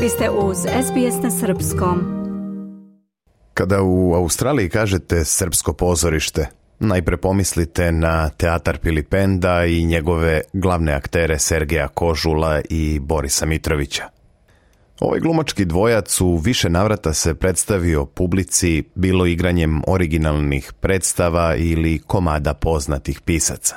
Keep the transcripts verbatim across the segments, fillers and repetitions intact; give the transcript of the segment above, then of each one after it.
Vi ste uz S B S na srpskom. Kada u Australiji kažete srpsko pozorište, najpre pomislite na teatar Pilipenda i njegove glavne aktere Sergeja Kožula i Borisa Mitrovića. Ovaj glumački dvojac u više navrata se predstavio publici bilo igranjem originalnih predstava ili komada poznatih pisaca.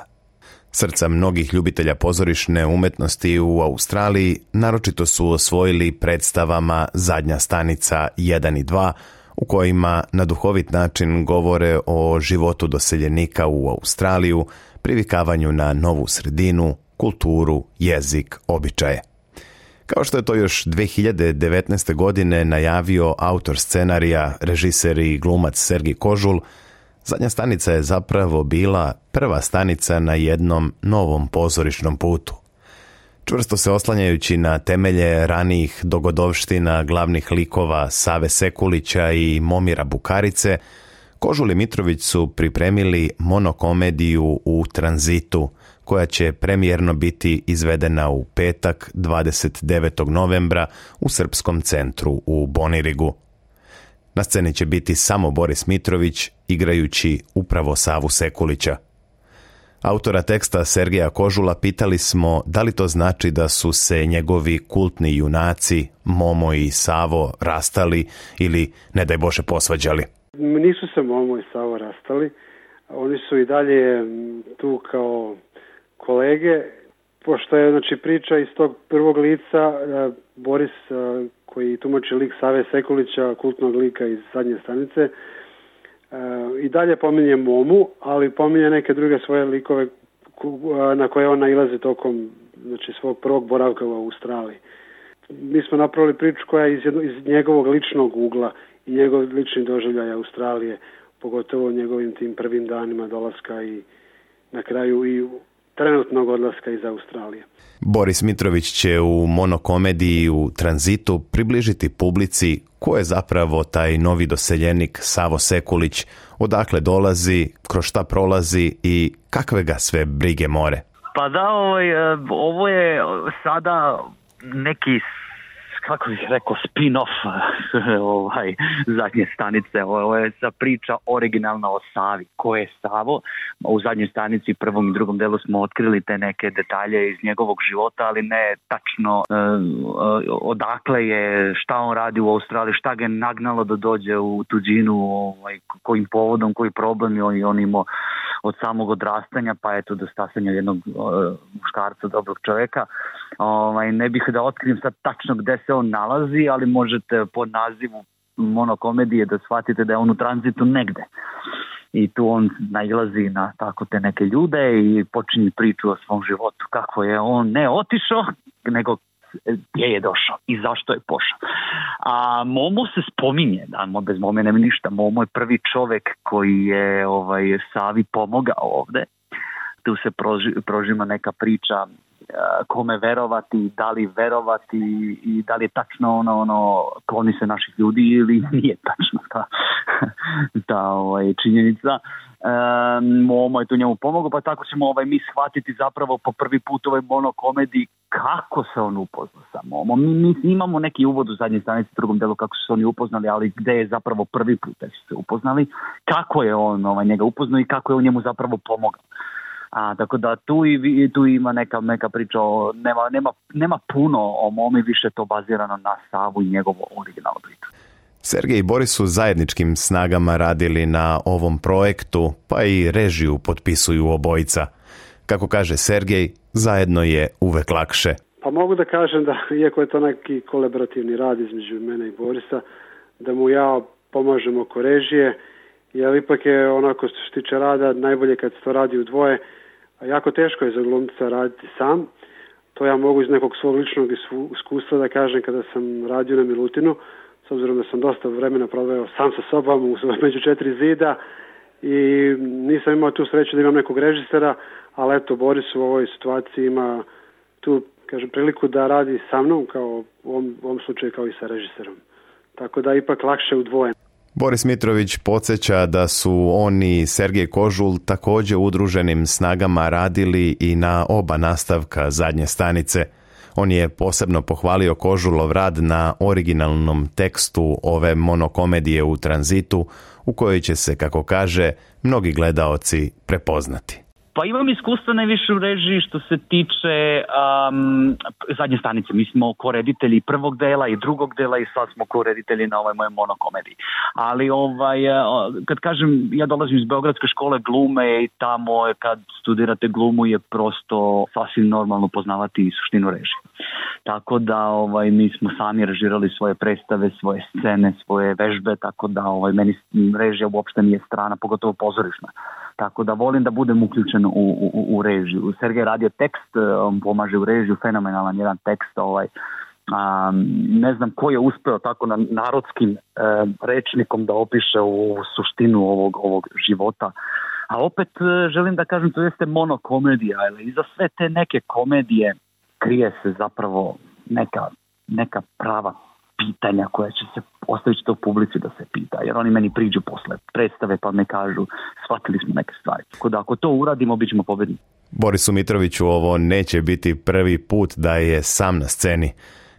Srca mnogih ljubitelja pozorišne umetnosti u Australiji naročito su osvojili predstavama Zadnja stanica jedan i dva, u kojima na duhovit način govore o životu doseljenika u Australiju, privikavanju na novu sredinu, kulturu, jezik, običaje. Kao što je to još dve hiljade devetnaeste. godine najavio autor scenarija, režiser i glumac Sergej Kožul, Zadnja stanica je zapravo bila prva stanica na jednom novom pozorišnom putu. Čvrsto se oslanjajući na temelje ranijih dogodovština glavnih likova Save Sekulića i Momira Bukarice, Kožul i Mitrović su pripremili monokomediju U tranzitu, koja će premijerno biti izvedena u petak dvadeset devetog novembra u Srpskom centru u Bonirigu. Na sceni će biti samo Boris Mitrović, igrajući upravo Savu Sekulića. Autora teksta Sergeja Kožula pitali smo da li to znači da su se njegovi kultni junaci, Momo i Savo, rastali ili, ne daj Bože, posvađali. Nisu se Momo i Savo rastali. Oni su i dalje tu kao kolege, pošto je znači, priča iz tog prvog lica, Boris koji tumači lik Save Sekulića, kultnog lika iz Zadnje stanice, i dalje pominje Momu, ali pominje neke druge svoje likove na koje on nailazi tokom znači, svog prvog boravka u Australiji. Mi smo napravili priču koja je iz, jedno, iz njegovog ličnog ugla i njegov lični doživljaj Australije, pogotovo njegovim tim prvim danima dolaska i na kraju i trenutnog odlaska iz Australije. Boris Mitrović će u monokomediji U tranzitu približiti publici ko je zapravo taj novi doseljenik Savo Sekulić, odakle dolazi, kroz šta prolazi i kakve ga sve brige more. Pa da, ovaj, ovo je sada neki, kako bih rekao, spin-off ovaj, Zadnje stanice. Ovo je sa priča originalna o Savi. Ko je Savo? U Zadnjoj stanici, prvom i drugom delu smo otkrili te neke detalje iz njegovog života, ali ne tačno uh, odakle je, šta on radi u Australiji, šta ga je nagnalo da dođe u tuđinu, ovaj, kojim povodom, koji problem je on, on imao od samog odrastanja, pa eto do stasanja jednog uh, muškarca, dobrog čovjeka. Ovaj, ne bih da otkrijem sad tačno gde se on nalazi, ali možete po nazivu monokomedije da shvatite da je on u tranzitu negde. I tu on nailazi na tako te neke ljude i počinje priču o svom životu. Kako je on ne otišao, nego gdje je došao i zašto je pošao. A Momo se spominje, da, bez Mome nema ništa. Momo je prvi čovjek koji je ovaj, Savi pomogao ovde. Tu se proži, prožima neka priča kome verovati, da li verovati i da li je tačno ono, ono kloni se naših ljudi ili nije tačno ta, ta ovaj, činjenica. E, Momo je tu njemu pomogao, pa tako ćemo ovaj, mi shvatiti zapravo po prvi put ovoj monokomediji kako se on upoznao sa Momom. Mi, mi imamo neki uvod u Zadnjoj stanici u drugom delu kako su se oni upoznali, ali gde je zapravo prvi put da su se upoznali, kako je on ovaj, njega upoznao i kako je on njemu zapravo pomogao. A, tako da tu, i, tu ima neka, neka priča, o, nema, nema, nema puno o Momi, više to bazirano na Savu i njegovu originalnu priču. Sergej i Boris su zajedničkim snagama radili na ovom projektu, pa i režiju potpisuju obojica. Kako kaže Sergej, zajedno je uvek lakše. Pa mogu da kažem da, iako je to neki kolaborativni rad između mene i Borisa, da mu ja pomažem oko režije, jer ipak je onako što se tiče rada najbolje kad se to radi u dvoje, a jako teško je za glumca raditi sam. To ja mogu iz nekog svog ličnog iskustva da kažem kada sam radio na Milutinu, s obzirom da sam dosta vremena proveo sam sa sobom među četiri zida i nisam imao tu sreću da imam nekog režisera, ali eto, Boris u ovoj situaciji ima tu, kažem, priliku da radi sa mnom, kao u ovom, u ovom slučaju kao i sa režiserom. Tako da ipak lakše u dvoje. Boris Mitrović podsjeća da su oni i Sergej Kožul također udruženim snagama radili i na oba nastavka Zadnje stanice. On je posebno pohvalio Kožulov rad na originalnom tekstu ove monokomedije U tranzitu, u kojoj će se, kako kaže, mnogi gledaoci prepoznati. Pa imam iskustva najviše u režiji što se tiče um, zadnje stanice. Mi smo koreditelji prvog dela i drugog dela i sad smo koreditelji na ovoj mojoj monokomediji. Ali ovaj, kad kažem, ja dolazim iz Beogradske škole glume i tamo kad studirate glumu je prosto sasvim normalno poznavati suštinu režije. Tako da ovaj, mi smo sami režirali svoje predstave, svoje scene, svoje vežbe, tako da ovaj, meni režija uopšte nije strana, pogotovo pozorišna. Tako da volim da budem uključen u, u, u režiju. Sergej radio tekst, on pomaže u režiju, fenomenalan jedan tekst. Ovaj, um, ne znam ko je uspeo tako na narodskim um, rečnikom da opiše u suštinu ovog, ovog života. A opet želim da kažem, to jeste monokomedija, ali iza sve te neke komedije krije se zapravo neka, neka prava pitanja koja će se ostaviti to publici da se pita, jer oni meni priđu posle predstave pa me kažu shvatili smo neke stvari. Tako da ako to uradimo, bit ćemo pobedni. Borisu Mitroviću, ovo neće biti prvi put da je sam na sceni.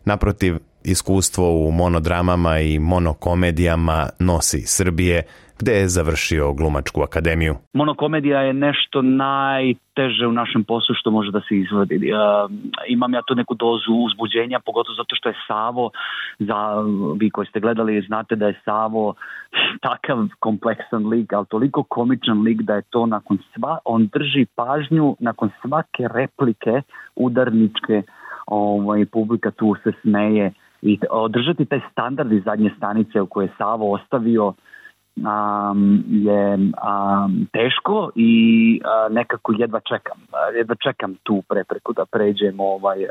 Naprotiv, iskustvo u monodramama i monokomedijama nosi iz Srbije, gde je završio Glumačku akademiju. Monokomedija je nešto najteže u našem poslu što može da se izvodi. Uh, imam ja tu neku dozu uzbuđenja, pogotovo zato što je Savo, za, vi koji ste gledali znate da je Savo takav kompleksan lik, ali toliko komičan lik da je to nakon sva, on drži pažnju nakon svake replike udarničke, ovaj, publika tu se smeje i održati taj standard iz zadnje stanice u koje je Savo ostavio Um, je um, teško i uh, nekako jedva čekam jedva čekam tu prepreku da pređem ovaj, uh,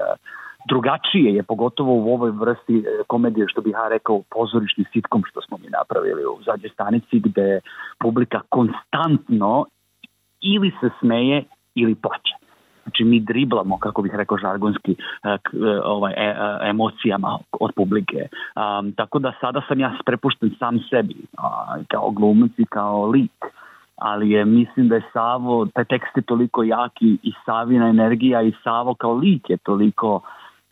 drugačije je, pogotovo u ovoj vrsti uh, komedije, što bih ja rekao pozorišni sitkom što smo mi napravili u zadnjoj stanici, gde publika konstantno ili se smeje ili plače. Znači mi driblamo, kako bih rekao žargonski, ovaj, e, emocijama od publike. Um, tako da sada sam ja prepušten sam sebi, a, kao glumac i kao lik. Ali je, mislim da je Savo, taj tekst je toliko jaki i Savina energija i Savo kao lik je toliko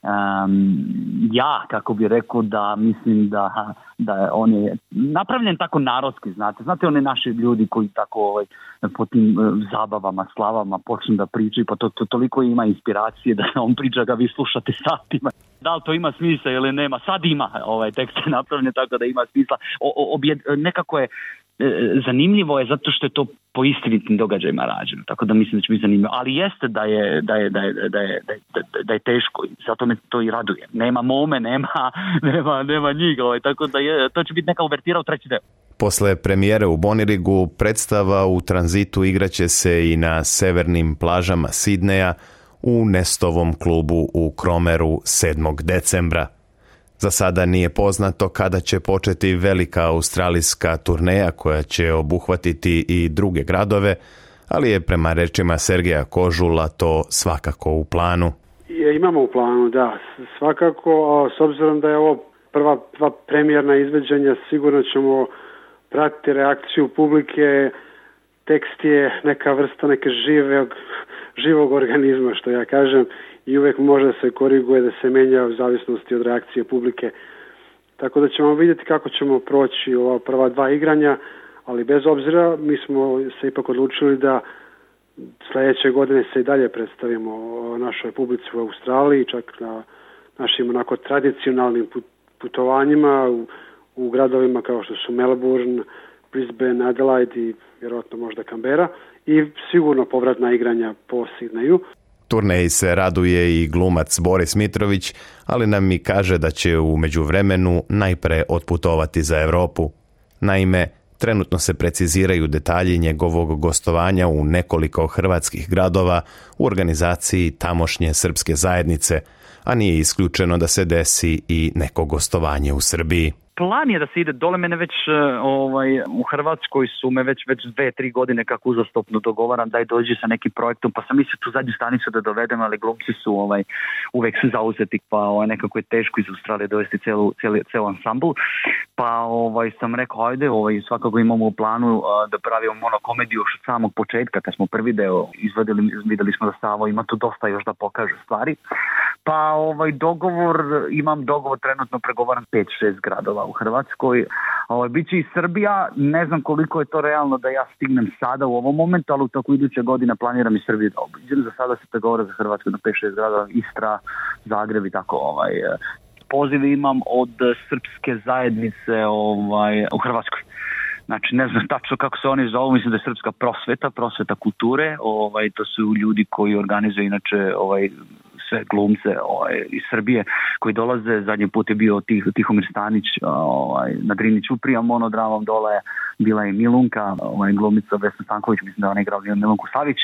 um, ja, kako bih rekao, da mislim da, da on je napravljen tako narodski, znate. Znate one naši ljudi koji tako ovaj, po tim uh, zabavama, slavama počnu da pričaju, pa to, to toliko ima inspiracije da on priča ga vi slušate satima. Da li to ima smisla ili nema? Sad ima, ovaj tekst je napravljen tako da ima smisla. O, o, objed, nekako je zanimljivo je zato što je to po istinitim događajima rađeno, tako da mislim da će biti zanimljivo, ali jeste da je, da je, da je, da je, da je, da je teško, zato me to i raduje. Nema mome, nema, nema, nema njih, ovaj, tako da je, to će biti neka uvertira u treći deo. Posle premijere u Bonirigu, predstava U tranzitu igraće se i na severnim plažama Sidneja u Nestovom klubu u Kromeru sedmog decembra. Za sada nije poznato kada će početi velika australijska turneja koja će obuhvatiti i druge gradove, ali je prema rečima Sergeja Kožula to svakako u planu. Je, imamo u planu, da, svakako, a s obzirom da je ovo prva, prva premijerna izveđenja, sigurno ćemo pratiti reakciju publike. Tekst je neka vrsta neke živog, živog organizma, što ja kažem, i uvek može da se koriguje, da se menja u zavisnosti od reakcije publike. Tako da ćemo vidjeti kako ćemo proći ova prva dva igranja, ali bez obzira mi smo se ipak odlučili da sljedeće godine se i dalje predstavimo našoj publici u Australiji, čak na našim onako tradicionalnim putovanjima u, u gradovima kao što su Melbourne, Brisbane, Adelaide i vjerojatno možda Canberra, i sigurno povratna igranja po Sidneju. Turneji se raduje i glumac Boris Mitrović, ali nam i kaže da će u međuvremenu najpre otputovati za Europu. Naime, trenutno se preciziraju detalji njegovog gostovanja u nekoliko hrvatskih gradova u organizaciji tamošnje srpske zajednice, a nije isključeno da se desi i neko gostovanje u Srbiji. Plan je da se ide dole, mene već ovaj, u Hrvatskoj su me već već dve, tri godine kako uzastopno dogovaram daj dođi sa nekim projektom, pa sam mislio tu zadnju stanicu da dovedem, ali glumci su ovaj, uvek su zauzeti, pa ovaj, nekako je teško iz Australije dovesti celu, celu, celu ansambl. Pa Pa ovaj, sam rekao, ajde, ovaj, svakako imamo u planu a, da pravimo monokomediju još od samog početka, kad smo prvi deo izvadili, videli smo da Savo ima tu dosta još da pokaže stvari. Pa ovaj dogovor, imam dogovor trenutno pregovaran pet šest gradova u Hrvatskoj. Ovaj, biće i Srbija, ne znam koliko je to realno da ja stignem sada u ovom momentu, ali u toku iduće godine planiram i Srbiju da obiđem. Za sada se pregovara za Hrvatsku na pet šest gradova, Istra, Zagreb i tako ovaj... Poziv imam od srpske zajednice ovaj, u Hrvatskoj. Znači, ne znam tačno kako se oni zovu, mislim da je srpska prosveta, prosveta kulture. Ovaj, to su ljudi koji organizuju inače ovaj, sve glumce ovaj, iz Srbije koji dolaze. Zadnji put je bio Tih, Tihomir Stanić ovaj, na Drini Ćuprija monodramom, dole bila je Milunka, ovaj, glumica Vesna Stanković, mislim da ona igrala Milunku Savić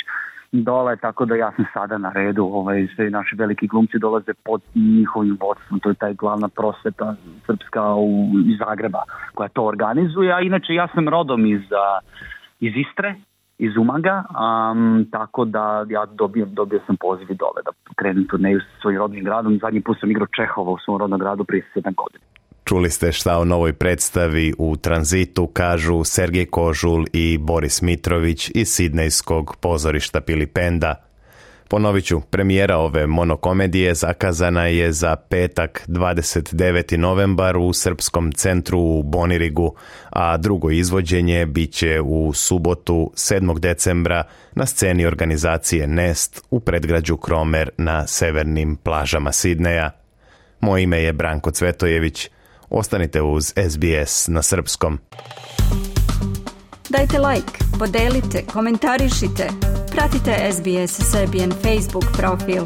dole, tako da ja sam sada na redu, ovaj, sve naši veliki glumci dolaze pod njihovim vodstvom, to je taj glavna prosveta srpska u, iz Zagreba koja to organizuje, a inače ja sam rodom iz, iz Istre, iz Umaga, um, tako da ja dobio, dobio sam poziv i dole da krenem turneju sa svojim rodnim gradom. Zadnji put sam igrao Čehova u svom rodnom gradu prije sedam godina. Čuli ste šta o novoj predstavi U tranzitu kažu Sergej Kožul i Boris Mitrović iz sidnejskog pozorišta Pilipenda. Ponovit ću, premijera ove monokomedije zakazana je za petak dvadeset deveti novembar u Srpskom centru u Bonirigu, a drugo izvođenje bit će u subotu sedmog decembra na sceni organizacije Nest u predgrađu Kromer na severnim plažama Sidneja. Moje ime je Branko Cvetojević. Ostanite uz S B S na srpskom. Dajte like, podelite, komentarišite. Pratite S B S Serbian Facebook profil.